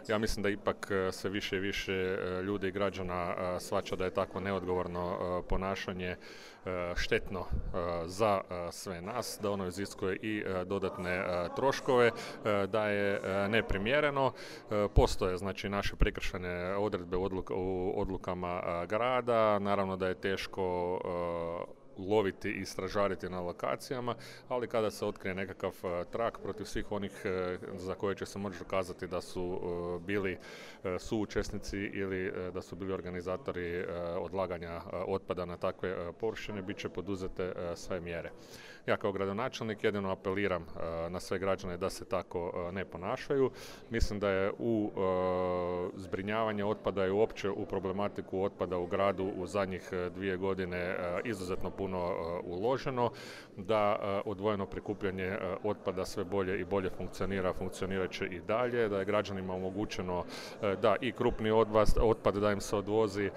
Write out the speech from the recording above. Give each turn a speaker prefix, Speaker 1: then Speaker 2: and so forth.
Speaker 1: Ja mislim da ipak sve više i više ljudi i građana shvaća da je takvo neodgovorno ponašanje štetno za sve nas, da ono iziskuje i dodatne troškove, da je neprimjereno. Postoje znači naše prekršajne odredbe u odlukama grada, naravno da je teško loviti i stražariti na lokacijama, ali kada se otkrije nekakav trak protiv svih onih za koje će se moći dokazati da su bili suučesnici ili da su bili organizatori odlaganja otpada na takve površine, bit će poduzete sve mjere. Ja kao gradonačelnik jedino apeliram na sve građane da se tako ne ponašaju. Mislim da je u zbrinjavanje otpada i uopće u problematiku otpada u gradu u zadnjih 2 godine izuzetno puno uloženo, da odvojeno prikupljanje otpada sve bolje i bolje funkcionirat će i dalje, da je građanima omogućeno da i krupni otpad da im se odvozi